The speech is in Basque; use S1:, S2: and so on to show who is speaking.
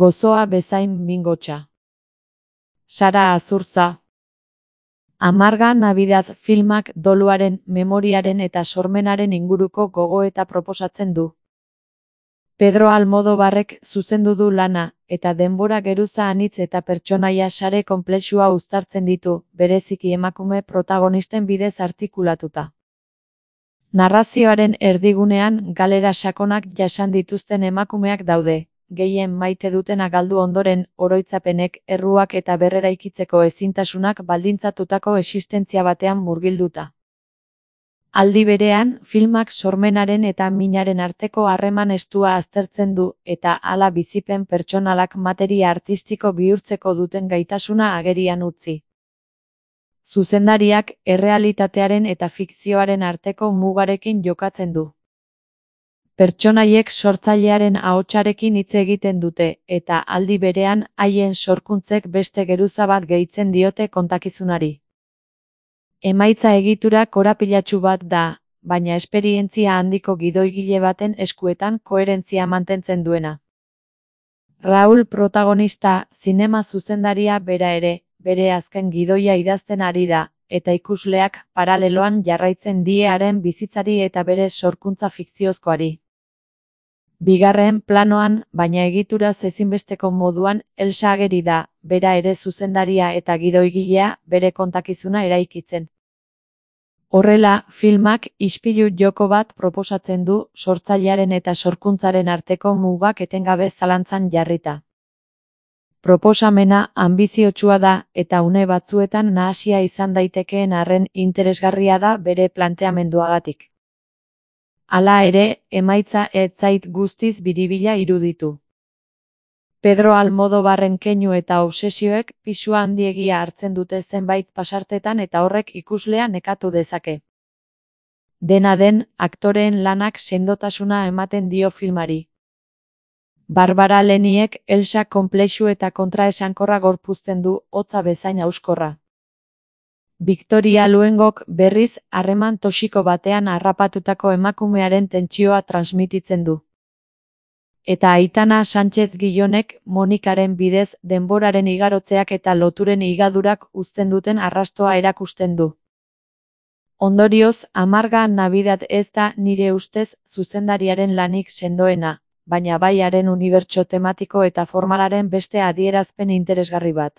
S1: Gozoa bezain mingotsa. Sara Azurza. Amarga Navidad filmak doluaren, memoriaren eta sormenaren inguruko gogoeta proposatzen du. Pedro Almodovarrek zuzendu du lana, eta denbora geruza anitz eta pertsonaia sare konplexua uztartzen ditu, bereziki emakume protagonisten bidez artikulatuta. Narrazioaren erdigunean galera sakonak jasan dituzten emakumeak daude, gehien maite dutena galdu ondoren, oroitzapenek, erruak eta berreraikitzeko ezintasunak baldintzatutako existentzia batean murgilduta. Aldi berean, filmak sormenaren eta minaren arteko harreman estua aztertzen du, eta hala bizipen pertsonalak materia artistiko bihurtzeko duten gaitasuna agerian utzi. Zuzendariak errealitatearen eta fikzioaren arteko mugarekin jokatzen du. Pertsonaiek sortzailearen ahotsarekin hitz egiten dute, eta aldi berean haien sorkuntzek beste geruza bat gehitzen diote kontakizunari. Emaitza egitura korapilatsu bat da, baina esperientzia handiko gidoigile baten eskuetan koherentzia mantentzen duena. Raúl protagonista, zinema zuzendaria bera ere, bere azken gidoia idazten ari da, eta ikusleak paraleloan jarraitzen die haren bizitzari eta bere sorkuntza fikziozkoari. Bigarren planoan, baina egituraz ezinbesteko moduan, Elsa ageri da, bera ere zuzendaria eta gidoigilea, bere kontakizuna eraikitzen. Horrela, filmak ispilu joko bat proposatzen du sortzailearen eta sorkuntzaren arteko mugak etengabe zalantzan jarrita. Proposamena anbiziotsua da eta une batzuetan nahasia izan daitekeen arren interesgarria da bere planteamenduagatik. Hala ere, emaitza ez zait guztiz biribila iruditu. Pedro Almodovarren keinu eta obsesioek pisu handiegia hartzen dute zenbait pasartetan eta horrek ikuslea nekatu dezake. Dena den, aktoreen lanak sendotasuna ematen dio filmari. Barbara Leniek Elsa konplexu eta kontraesankorra gorpuzten du, hotza bezain hauskorra. Victoria Luengok berriz harreman toxiko batean harrapatutako emakumearen tentsioa transmititzen du. Eta Aitana Sánchez Gijonek Monikaren bidez denboraren igarotzeak eta loturen higadurak uzten duten arrastoa erakusten du. Ondorioz, Amarga Navidad ez da nire ustez zuzendariaren lanik sendoena, baina bai haren unibertso tematiko eta formalaren beste adierazpen interesgarri bat.